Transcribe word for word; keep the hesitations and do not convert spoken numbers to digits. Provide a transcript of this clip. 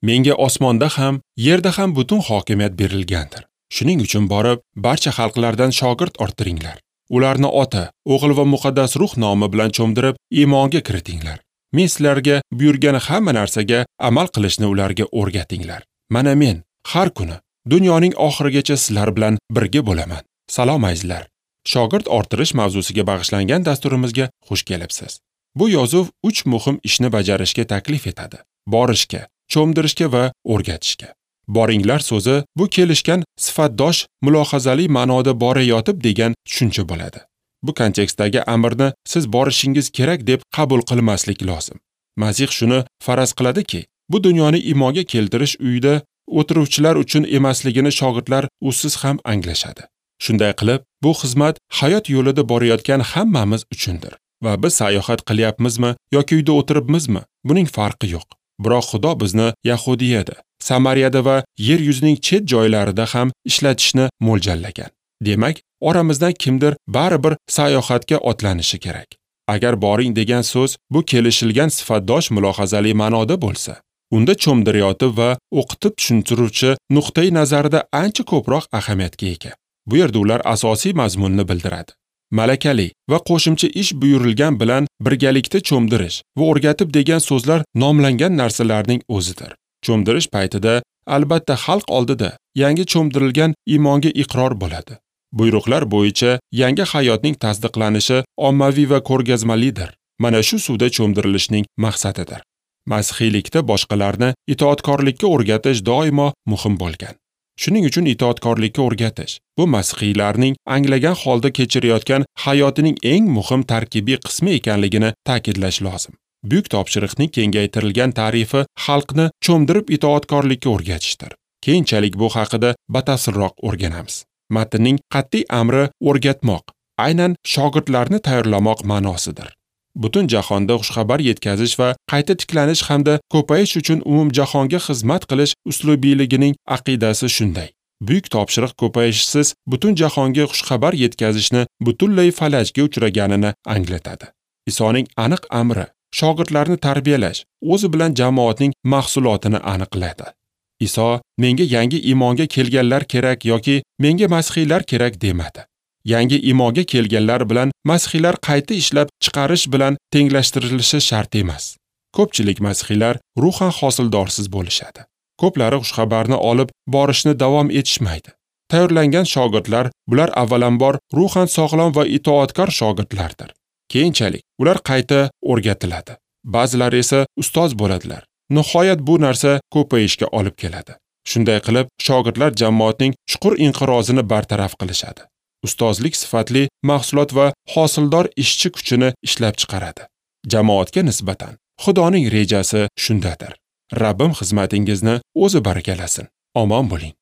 Menga osmonda ham, yerda ham butun hokimiyat berilgandir. Shuning uchun borib, barcha xalqlardan shogird orttiringlar. Ularni Ota, O'g'il va Muqaddas Ruh nomi bilan cho'mdirib, iymonga kiritinglar. Men sizlarga buyurgan hamma narsaga amal qilishni ularga o'rgatinglar. Mana men har kuni dunyoning oxirigacha sizlar bilan birga bo'laman. Salom azizlar. Shogird orttirish mavzusiga bag'ishlangan dasturimizga xush kelibsiz. Bu yozuv uch muhim ishni bajarishga taklif etadi: borishga, cho'mdirishga va o'rgatishga. Boringlar so'zi bu kelishgan sifatdosh mulohazali ma'noda borayotib degan tushuncha bo'ladi. Bu kontekstdagi amrni siz borishingiz kerak deb qabul qilmaslik lozim. Masih shuni faraz qiladiki, bu dunyoni iymonga keltirish uyida o'tiruvchilar uchun emasligini shogirdlar usiz ham anglashadi. Shunday qilib, bu xizmat hayot yo'lida borayotgan hammamiz uchundir. Va biz sayohat qilyapmizmi yoki uyda o'tiribmizmi, buning farqi yo'q. Biroq Xudo bizni Yahudiyada, Samariyada va yer yuzining chet joylarida ham ishlatishni mo'ljallagan. Demak, oramizdan kimdir baribir sayohatga otlanishi kerak. Agar boring degan so'z bu kelishilgan sifatdosh mulohazali ma'noda bo'lsa, unda cho'mdirayotib va o'qitib tushuntiruvchi nuqtai nazarida ancha ko'proq ahamiyatga ega. Bu yerda ular asosiy mazmunni bildiradi. Malakali va qo'shimcha ish buyurilgan bilan birgalikda cho'mdirish va o'rgatib degan so'zlar nomlangan narsalarning o'zidir. Cho'mdirish paytida albatta xalq oldida yangi cho'mdirilgan iymonga iqror bo'ladi. Buyruqlar bo'yicha yangi hayotning tasdiqlanishi ommaviy va ko'rgazmalidir. Mana shu suvda cho'mdirilishning maqsadidir. Masihiylikda boshqalarni itoatkorlikka o'rgatish doimo muhim bo'lgan. Shuning uchun itoatkorlikka o'rgatish bu masihiylarning anglagan holda kechirayotgan hayotining eng muhim tarkibiy qismi ekanligini ta'kidlash lozim. Buyuk topshiriqning kengaytirilgan ta'rifi xalqni cho'mdirib itoatkorlikka o'rgatishdir. Keyinchalik bu haqida batafsilroq o'rganamiz. Matnning qat'iy amri o'rgatmoq, aynan shogirdlarni tayyorlamoq ma'nosidir. Butun jahonda xushxabar yetkazish va qayta tiklanish hamda ko'payish uchun umumjahonga xizmat qilish uslubiyligining aqidasi shunday. Buyuk topshiriq ko'payishsiz butun jahonga xushxabar yetkazishni butunlay falajga uchraganini anglatadi. Isoning aniq amri shogirdlarni tarbiyalash, o'zi bilan jamoatning mahsulotini aniqladi. Iso menga yangi iymonga kelganlar kerak yoki menga masihiylar kerak demadi. Yangi iymonga kelganlar bilan masihiylar qayta ishlab chiqarish bilan tenglashtirilishi shart emas. Ko'pchilik masihiylar ruhan hosildorsiz bo'lishadi. Ko'plari xushxabarni olib borishni davom etishmaydi. Tayyorlangan shogirdlar bular avvalambor ruhan sog'lom va itoatkor shogirdlardir. Keyinchalik ular qayta o'rgatiladi. Ba'zilari esa ustoz bo'ladilar. Nihoyat bu narsa ko'payishga olib keladi. Shunday qilib, shogirdlar jamoatning chuqur inqirozini bartaraf qilishadi. Ustozlik sifatli mahsulot va hosildor ishchi kuchini ishlab chiqaradi. Jamoatga nisbatan Xudoning rejasi shundadir. Rabbim xizmatingizni o'zi barakalasin. Omon bo'ling.